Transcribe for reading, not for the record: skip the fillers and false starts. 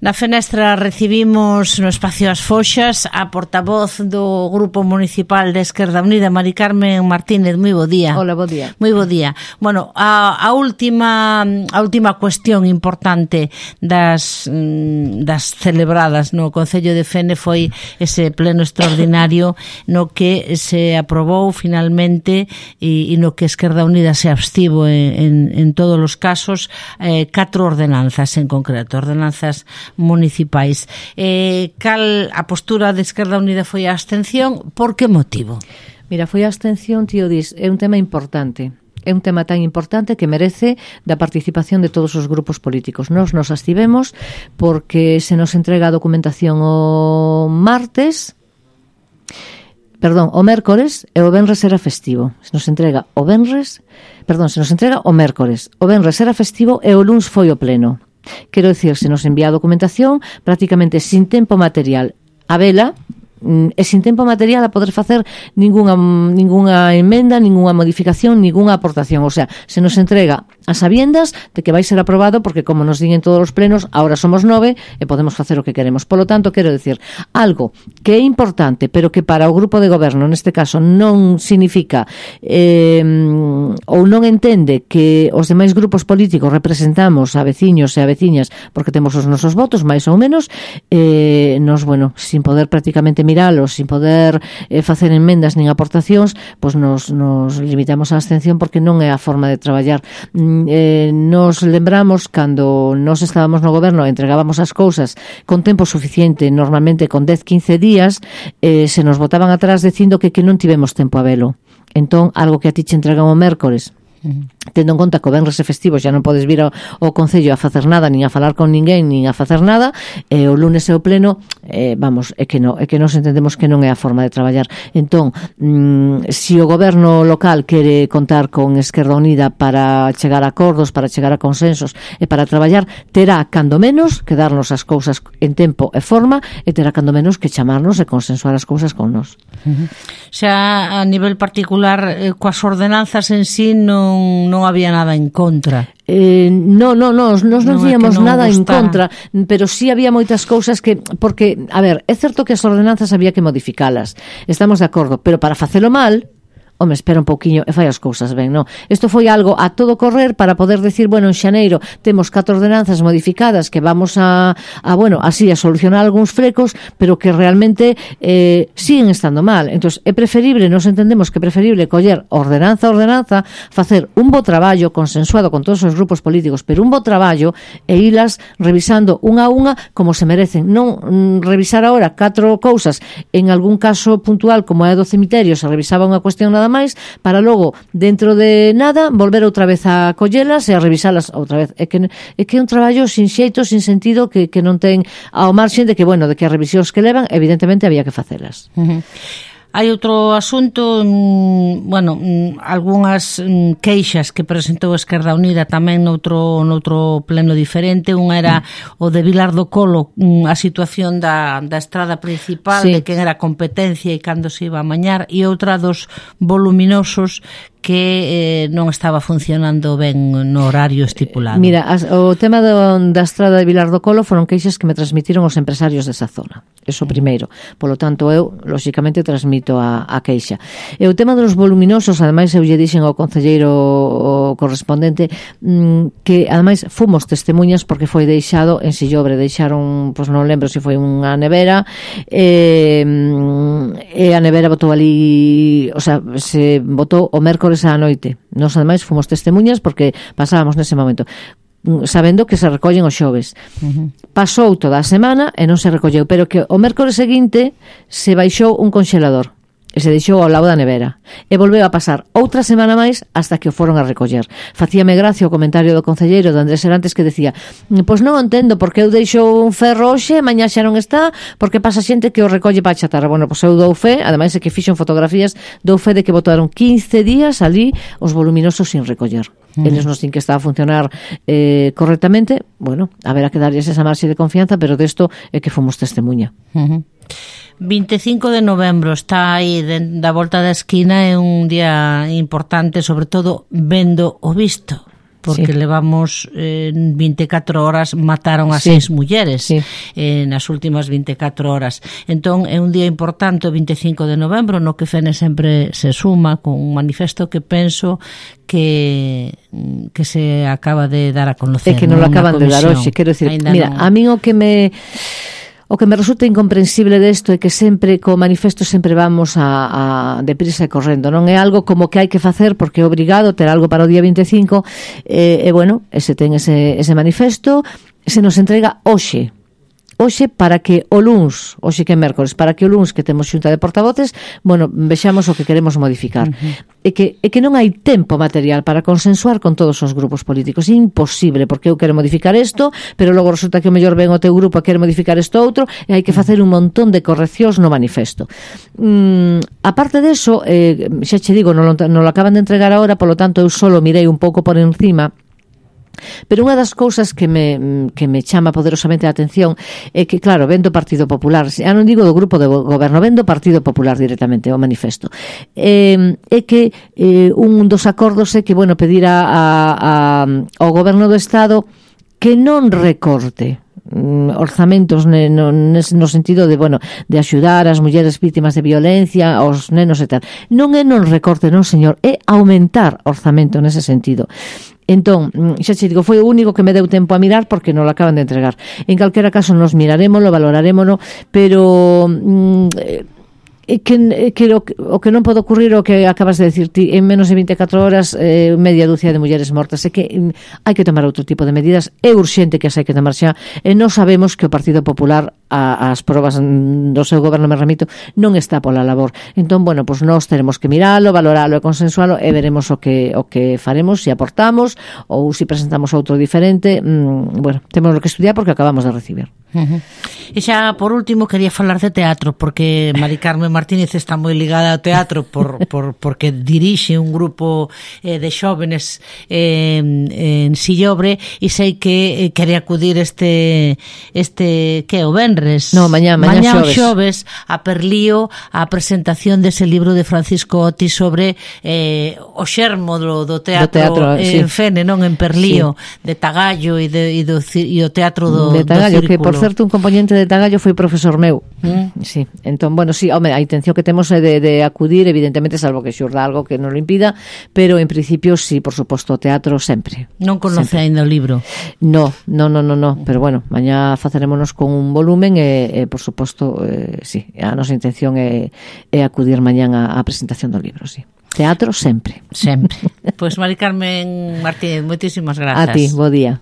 Na Fenestra recibimos no espacio As Foxas a portavoz do Grupo Municipal de Esquerda Unida, Mari Carmen Martínez. Moi bo día. Hola, bo día. Moi bo día. Bueno, a última cuestión importante das celebradas no Concello de Fene foi ese pleno extraordinario no que se aprobou finalmente e no que Esquerda Unida se abstivo en todos os casos 4 ordenanzas en concreto, ordenanzas municipais. Cal a postura de Esquerda Unida foi a abstención? Por que motivo? Mira, foi a abstención, tío Dis, é un tema importante. É un tema tan importante que merece da participación de todos os grupos políticos. Nos abstivemos porque se nos entrega a documentación o mércores e o venres era festivo. Se nos entrega o mércores. O venres era festivo e o luns foi o pleno. Quero dicir, se nos envía a documentación prácticamente sin tempo material a vela e sin tempo material a poder facer ningunha emenda, ningunha modificación, ningunha aportación. O sea, se nos entrega a sabiendas de que vai ser aprobado porque, como nos din en todos os plenos, ahora somos 9 e podemos facer o que queremos. Polo tanto, quero dicir, algo que é importante, pero que para o grupo de goberno, neste caso, non significa ou non entende que os demais grupos políticos representamos a veciños e a veciñas porque temos os nosos votos, máis ou menos, nos, bueno, sin poder prácticamente miralos, sin poder facer enmendas nin aportacións, pois nos limitamos á abstención porque non é a forma de traballar. Nos lembramos cando nos estábamos no goberno e entregábamos as cousas con tempo suficiente, normalmente con 10-15 días, se nos botaban atrás dicindo que non tivemos tempo a velo. Entón, algo que a ti che entregan o mércores, tendo en conta que o venres é festivo, xa non podes vir ao Concello a facer nada, nin a falar con ninguén, nin a facer nada, e o lunes é o pleno, é que nos entendemos que non é a forma de traballar. Entón, se o goberno local quere contar con Esquerda Unida para chegar a acordos, para chegar a consensos e para traballar, terá cando menos que darnos as cousas en tempo e forma, e terá cando menos que chamarnos e consensuar as cousas con nos. Xa a nivel particular, coas ordenanzas en sí non había nada en contra. Nos non víamos nada en contra, pero sí había moitas cousas que, porque, a ver, é certo que as ordenanzas había que modificalas, estamos de acordo, pero para facelo mal, home, espera un pouquiño e fai as cousas ben, non? Isto foi algo a todo correr para poder decir, bueno, en xaneiro temos 4 ordenanzas modificadas que vamos a solucionar algúns frecos, pero que realmente siguen estando mal. Entón, é preferible, nos entendemos que é preferible coller ordenanza a ordenanza, facer un bo traballo consensuado con todos os grupos políticos, pero un bo traballo e ilas revisando unha a unha como se merecen. Non revisar agora 4 cousas, en algún caso puntual como é do cemiterio, se revisaba unha cuestión nada máis, para logo, dentro de nada, volver outra vez a collelas e a revisalas outra vez. É que é un traballo sin xeito, sin sentido, que non ten ao marxen de que, bueno, de que as revisións que levan, evidentemente había que facelas. Hai outro asunto, algunhas queixas que presentou Esquerda Unida tamén noutro pleno diferente. Unha era o de Vilar do Colo, a situación da estrada principal, sí, de quen era competencia e cando se iba a mañar, e outra dos voluminosos que non estaba funcionando ben no horario estipulado. Mira, o tema da estrada de Vilar do Colo foron queixas que me transmitiron os empresarios desa zona. Eso primeiro. Polo tanto, eu, lóxicamente, transmito a queixa. E o tema dos voluminosos, ademais, eu lle dixen ao concelleiro correspondente que, ademais, fomos testemunhas porque foi deixado en Sillobre. Deixaron, pois non lembro se foi unha nevera, e a nevera botou ali, o sea, se botou o mércores á noite. Nos, ademais, fomos testemunhas porque pasábamos nese momento, sabendo que se recollen os xoves. Pasou toda a semana e non se recolleu, pero que o mércores seguinte se baixou un conxelador e se deixou ao lado da nevera e volveu a pasar outra semana máis hasta que o foron a recoller. Facíame gracia o comentario do concelleiro do Andrés Serantes que decía, pois non entendo porque eu deixo un ferro hoxe, mañá xa non está, porque pasa xente que o recolle para chatarra. Bueno, pois eu dou fe, ademais é que fixo fotografías, dou fe de que botaron 15 días ali os voluminosos sin recoller. Eles nos din que está a funcionar correctamente. Bueno, haberá que darlles esa marxe de confianza, pero desto é que fomos testemunha. 25 de novembro está aí da volta da esquina, é un día importante, sobre todo vendo o visto. porque levamos 24 horas, mataron a 6 mulleres nas últimas 24 horas. Entón, é un día importante, o 25 de novembro, no que Fene sempre se suma con un manifesto que penso que se acaba de dar a conocer. É que non lo acaban de dar hoxe, quero dicir, mira, a min o que me resulta incomprensible desto é que sempre, co manifesto, sempre vamos a deprisa e correndo. Non é algo como que hai que facer porque é obrigado ter algo para o día 25 e bueno, ese ten ese manifesto, se nos entrega hoxe para que o luns, hoxe que é mércores, para que o luns que temos xunta de portavoces, bueno, vexamos o que queremos modificar. E que non hai tempo material para consensuar con todos os grupos políticos. É imposible, porque eu quero modificar isto, pero logo resulta que o mellor ven o teu grupo a querer modificar isto outro, e hai que facer un montón de correccións no manifesto. Aparte deso, xa che digo, non lo acaban de entregar agora, polo tanto eu solo mirei un pouco por encima. Pero unha das cousas que me chama poderosamente a atención é que, claro, vendo o Partido Popular, xa non digo do grupo de goberno, vendo o Partido Popular directamente, o manifesto, é que un dos acordos é que, bueno, pedir ao goberno do Estado que non recorte orzamentos no sentido de, bueno, de axudar as mulleres vítimas de violencia, aos nenos e tal. Non é non recorte, non, señor, é aumentar orzamento nese sentido. Entón, xa che digo, foi o único que me deu tempo a mirar porque non lo acaban de entregar. En calquera caso nos mirarémolo, valorarémolo, pero o que non pode ocurrir o que acabas de decir ti, en menos de 24 horas media dúcia de mulleres mortas. É que hai que tomar outro tipo de medidas, é urxente que as hai que tomar xa, e non sabemos que o Partido Popular as probas do seu goberno, me remito, non está pola labor. Entón, bueno, pues nós teremos que miralo, valoralo e consensualo e veremos o que faremos, se aportamos ou se presentamos outro diferente. Bueno, temos que estudiar porque acabamos de recibir. E xa, por último, quería falar de teatro, porque Mari Carmen Martínez está moi ligada ao teatro porque dirixe un grupo de xóvenes en Sillobre, e sei que quere acudir este que é o venres, mañá xoves a Perlío, a presentación dese libro de Francisco Otis sobre o xermo do teatro en Fene, non, en Perlío, de Tagallo e o teatro do Tagallo, Círculo. Que por certo un componente de Tagallo foi profesor meu. Sí, entón, bueno, sí, home, a intención que temos é de acudir, evidentemente, salvo que xurda algo que non lo impida, pero en principio sí, por suposto, o teatro sempre. Non conoce ainda o libro? No, pero bueno, mañá facerémonos con un volumen e por suposto, sí, a nosa intención é acudir mañán á presentación do libro, sí. Teatro sempre. Sempre. Pois Mari Carmen Martínez, moitísimas grazas. A ti, bo día.